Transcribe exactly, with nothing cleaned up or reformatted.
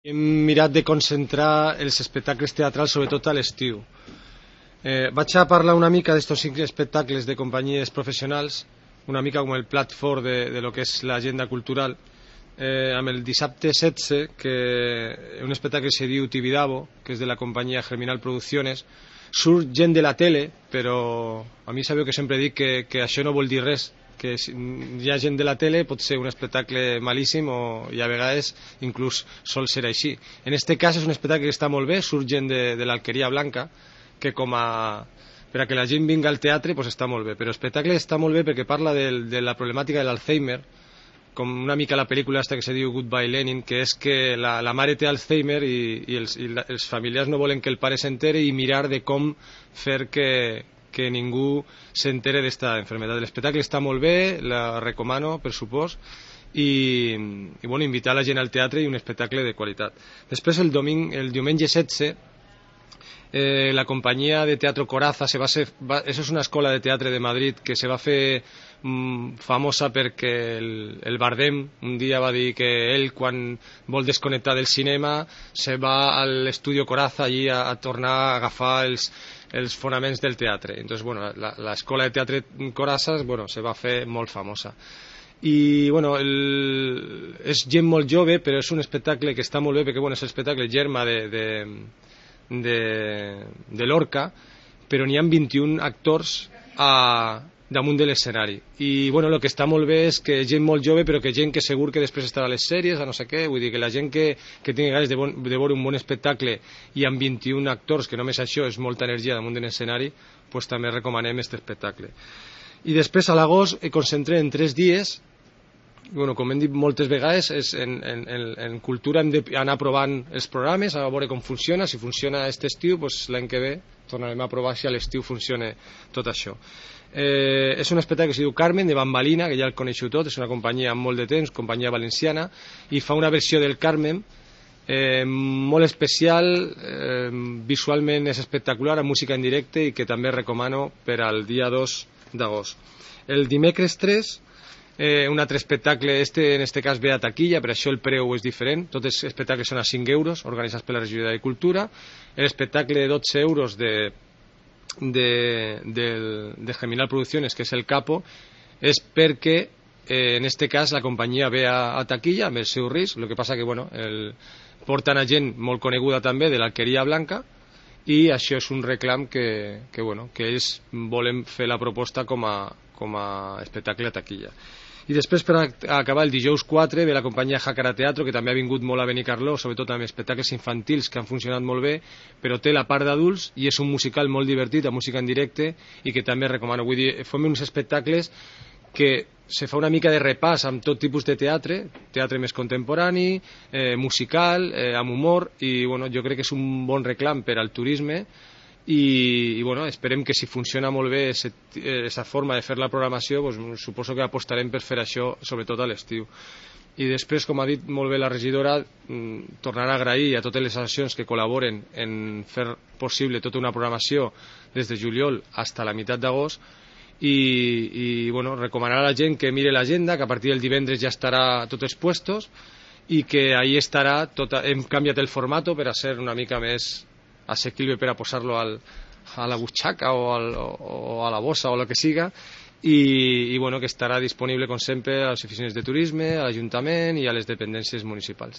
Hem mirat de concentrar els espectacles teatrals sobretot a l'estiu. Eh, vaig a parlar una mica d'estos cinc espectacles de companyies professionals, una mica com el plat fort de, de lo que és l'agenda cultural, eh, amb el dissabte setze, que un espectacle se diu Tibidabo, que és de la companyia Germinal Producciones. Surt gent de la tele, però a mi sabeu que sempre dic que, que això no vol dir res, que si hi ha gent de la tele pot ser un espectacle malíssim o i a vegades inclús sol ser així. En este cas és un espectacle que està molt bé, surt gent de, de l'Alqueria Blanca, que com a per a que la gent vinga al teatre pues està molt bé, però l'espectacle està molt bé perquè parla de, de la problemàtica de l'Alzheimer, com una mica la pel·lícula esta que se diu Goodbye Lenin, que és que la, la mare té Alzheimer i, i, els, i la, els familiars no volen que el pare s'entere i mirar de com fer que, que ningú s'entere d'esta enfermedad. L'espectacle està molt bé, la recomano, per supòs, i, i bueno, invitar la gent al teatre i un espectacle de qualitat. Després el, doming, el diumenge setze, eh, la companyia de teatro Coraza, se va ser, va, això és una escola de teatre de Madrid que se va fer mm, famosa perquè el, el Bardem un dia va dir que ell, quan vol desconnectar del cinema, se va a l'estudio Coraza allí a, a tornar a agafar els els fonaments del teatre. Entonces, bueno, l'escola de teatre Coraza, bueno, se va fer molt famosa. I, bueno, el... és gent molt jove, però és un espectacle que està molt bé, perquè, bueno, és l'espectacle germa de, de, de, de Lorca, però n'hi ha vint-i-un actors a damunt de l'escenari. I, bueno, el que està molt bé és que gent molt jove, però que gent que segur que després estarà a les sèries, a no sé què, vull dir que la gent que, que tingui ganes de, bon, de veure un bon espectacle i amb vint-i-un actors, que només això és molta energia damunt de l'escenari, pues també recomanem aquest espectacle. I després a l'agost he concentrat en tres dies, bueno, com hem dit moltes vegades, és en, en, en, en cultura hem d'anar provant els programes, a veure com funciona. Si funciona aquest estiu, pues l'any que ve tornarem a provar si a l'estiu funciona tot això. Eh, és un espectacle que es diu Carmen, de Bambalina, que ja el coneixeu tot, és una companyia amb molt de temps, companyia valenciana, i fa una versió del Carmen eh, molt especial, eh, visualment és espectacular, amb música en directe, i que també recomano per al dia dos d'agost. El dimecres tres, eh, un altre espectacle, este en este cas ve a taquilla, per això el preu és diferent, tots els espectacles són a cinc euros, organitzats per la regidoria de Cultura. L'espectacle de dotze euros de de, de, de Germinal Producciones, que és el Capo, és perquè eh, en este cas la companyia ve a, a taquilla amb el seu risc. El que passa que bueno, el, porten a gent molt coneguda també de l'Alqueria Blanca, i això és un reclam que, que, bueno, que ells volen fer la proposta com a, com a espectacle a taquilla. I després, per acabar, el dijous quatre ve la companyia Jácara Teatro, que també ha vingut molt a Benicarló, sobretot amb espectacles infantils que han funcionat molt bé, però té la part d'adults i és un musical molt divertit, amb música en directe, i que també recomano. Vull dir, fem uns espectacles que se fa una mica de repàs amb tot tipus de teatre, teatre més contemporani, eh, musical, eh, amb humor, i bueno, jo crec que és un bon reclam per al turisme. I, i bueno, esperem que si funciona molt bé aquesta forma de fer la programació, pues, suposo que apostarem per fer això sobretot a l'estiu. I després, com ha dit molt bé la regidora, tornarà a agrair a totes les associacions que col·laboren en fer possible tota una programació des de juliol fins a la meitat d'agost, i, i bueno, recomanar a la gent que mire l'agenda, que a partir del divendres ja estarà tots els puestos, i que ahí estarà tota... hem canviat el formato per a ser una mica més assequible per a posar-lo al, a la butxaca o, al, o a la bossa o el que siga, i, i bueno, que estarà disponible com sempre a les oficines de turisme, a l'Ajuntament i a les dependències municipals.